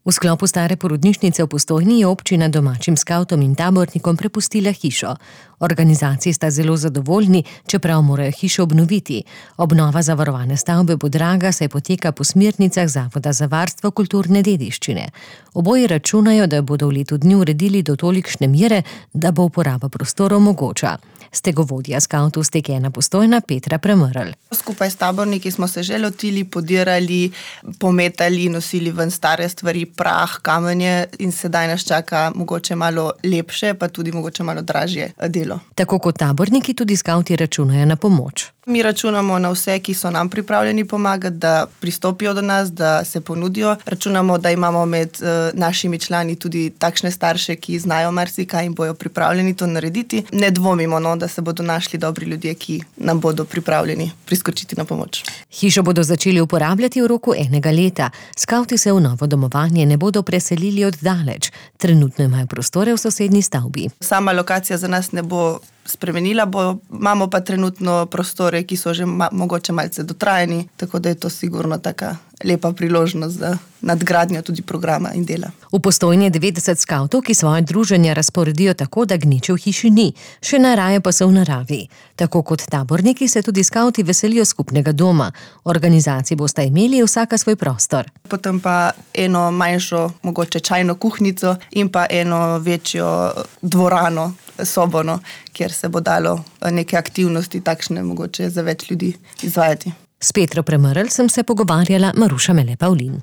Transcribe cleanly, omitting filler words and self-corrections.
V sklopu stare porodnišnice v Postojni je občina domačim skavtom in tabornikom prepustila hišo. Organizaciji sta zelo zadovoljni, čeprav morajo hišo obnoviti. Obnova zavarovane stavbe bo draga, saj poteka po smernicah Zavoda za varstvo kulturne dediščine. Oboji računajo, da bodo v letu dni uredili do tolikšne mere, da bo uporaba prostorov mogoča. Stegovodja skavtov Steg 1 Postojna Petra Premrl. Skupaj s taborniki smo se že lotili, podirali, pometali, nosili ven stare stvari, prah, kamenje in sedaj nas čaka mogoče malo lepše, pa tudi mogoče malo dražje delo. Tako kot taborniki, tudi skavti računajo na pomoč. Mi računamo na vse, ki so nam pripravljeni pomagati, da pristopijo do nas, da se ponudijo. Računamo, da imamo med našimi člani tudi takšne starše, ki znajo marsikaj in bojo pripravljeni to narediti. Ne dvomimo, da se bodo našli dobri ljudje, ki nam bodo pripravljeni priskočiti na pomoč. Hišo bodo začeli uporabljati v roku 1 leta. Skavti se v novo domovanje ne bodo preselili od daleč. Trenutno imajo prostore v sosednji stavbi. Sama lokacija za nas ne bo spremenila, imamo pa trenutno prostore, ki so že mogoče malce dotrajani, tako da je to sigurno taka lepa priložnost za nadgradnjo tudi programa in dela. V Postojni je 90 skavtov, ki svoje druženja razporedijo tako, da gneče v hiši ni, še najraje pa so v naravi. Tako kot taborniki se tudi skavti veselijo skupnega doma. Organizaciji bosta imeli vsaka svoj prostor. Potem pa eno manjšo, mogoče čajno kuhnico in pa eno večjo dvorano, sobono, kjer se bo dalo neke aktivnosti takšne mogoče za več ljudi izvajati. S Petro Premrl sem se pogovarjala Maruša Mele Pavlin.